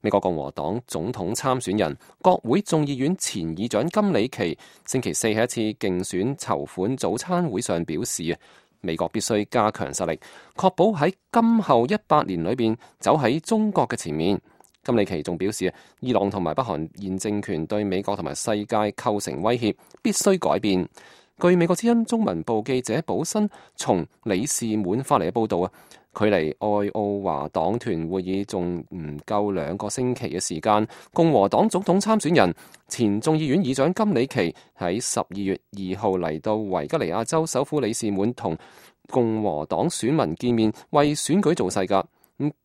美國共和黨總統參選人、國會眾議院前議長金里奇星期四喺一次競選籌款早餐會上表示，美國必須加強實力，確保喺今後100年裏邊走喺中國嘅前面。金里奇仲表示，伊朗同埋北韓現政權對美國同埋世界構成威脅，必須改變。據美國之音中文部記者保新從里士滿發嚟嘅報導，距離愛奧華黨團會議仲唔夠2個星期嘅時間，共和黨總統參選人、前眾議院議長金里奇喺12月2號嚟到維吉尼亞州首府里士滿同共和黨選民見面，為選舉造勢㗎。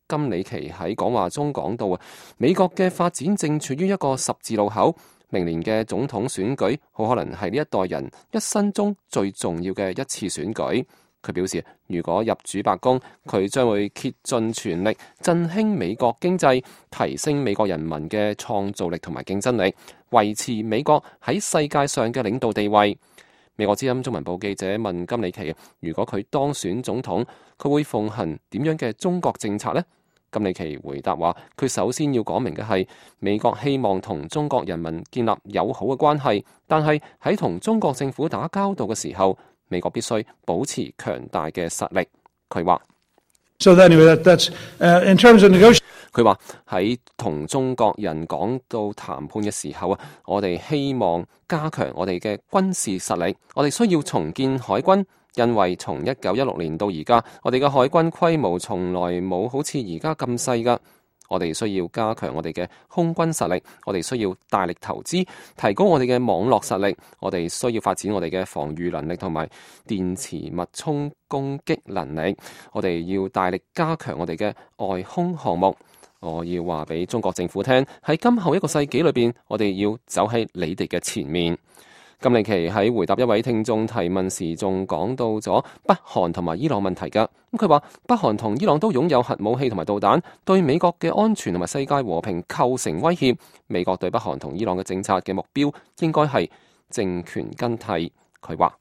金里奇喺講話中講到，美國嘅發展正處於一個十字路口，明年嘅總統選舉好可能係呢一代人一生中最重要嘅一次選舉。佢表示，如果入主白宮，佢將會竭盡全力振興美國經濟，提升美國人民嘅創造力同埋競爭力，維持美國喺世界上嘅領導地位。美國之音中文部記者問金里奇，如果佢當選總統，佢會奉行點樣嘅中國政策呢？金里奇回答話，佢首先要講明嘅係，美國希望同中國人民建立友好嘅關係，但係喺同中國政府打交道嘅時候，美國必須保持強大嘅實力。佢話，佢話喺同中國人講到談判嘅時候啊，我哋希望加強我哋嘅軍事實力，我哋需要重建海軍，因為從1916年到而家，我哋嘅海軍規模從來冇好似而家咁細㗎。我哋需要加強我哋嘅空軍實力，我哋需要大力投資，提高我哋嘅網絡實力，我哋需要發展我哋嘅防禦能力同埋電磁脈衝攻擊能力，我哋要大力加強我哋嘅外空項目。我要話俾中國政府聽，喺今後1個世紀裏邊，我哋要走喺你哋嘅前面。金里奇喺回答一位聽眾提問時，仲講到咗北韓同埋伊朗問題㗎。佢話北韓同伊朗都擁有核武器同埋導彈，對美國嘅安全同埋世界和平構成威脅。美國對北韓同伊朗嘅政策嘅目標應該係政權更替。佢話。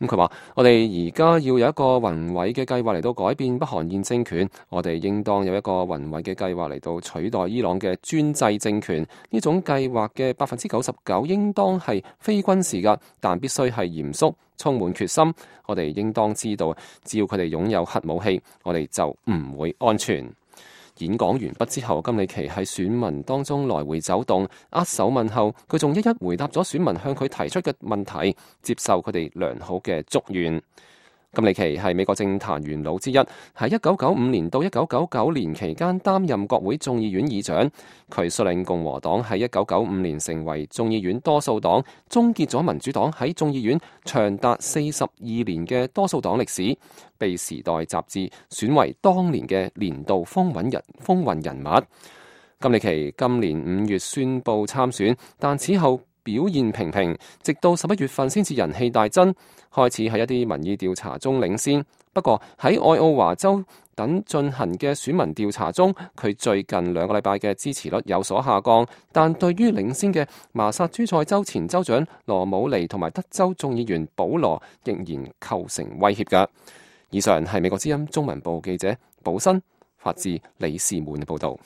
佢話：我哋而家要有一個宏偉嘅計劃嚟到改變北韓現政權，我哋應當有一個宏偉嘅計劃嚟到取代伊朗嘅專制政權。呢種計劃嘅99%應當係非軍事㗎，但必須係嚴肅、充滿決心。我哋應當知道，只要佢哋擁有核武器，我哋就唔會安全。演講完畢之後，金里奇喺選民當中來回走動，握手問候。佢仲一一回答咗選民向佢提出嘅問題，接受佢哋良好嘅祝願。金里奇係美國政壇元老之一，喺1995年到1999年期間擔任國會眾議院議長。佢率領共和黨喺1995年成為眾議院多數黨，終結咗民主黨喺眾議院長達42年嘅多數黨歷史，被《時代》雜誌選為當年嘅年度風雲人物。金里奇今年5月宣布參選，但此後表現平平，直到11月份先至人氣大增，開始喺一啲民意調查中領先。不過喺愛奧華州等進行嘅選民調查中，佢最近2個禮拜嘅支持率有所下降。但對於領先嘅麻薩諸塞州前州長羅姆尼同埋德州眾議員保羅，仍然構成威脅㗎。以上係美國之音中文部記者寶新發自里士滿嘅報導。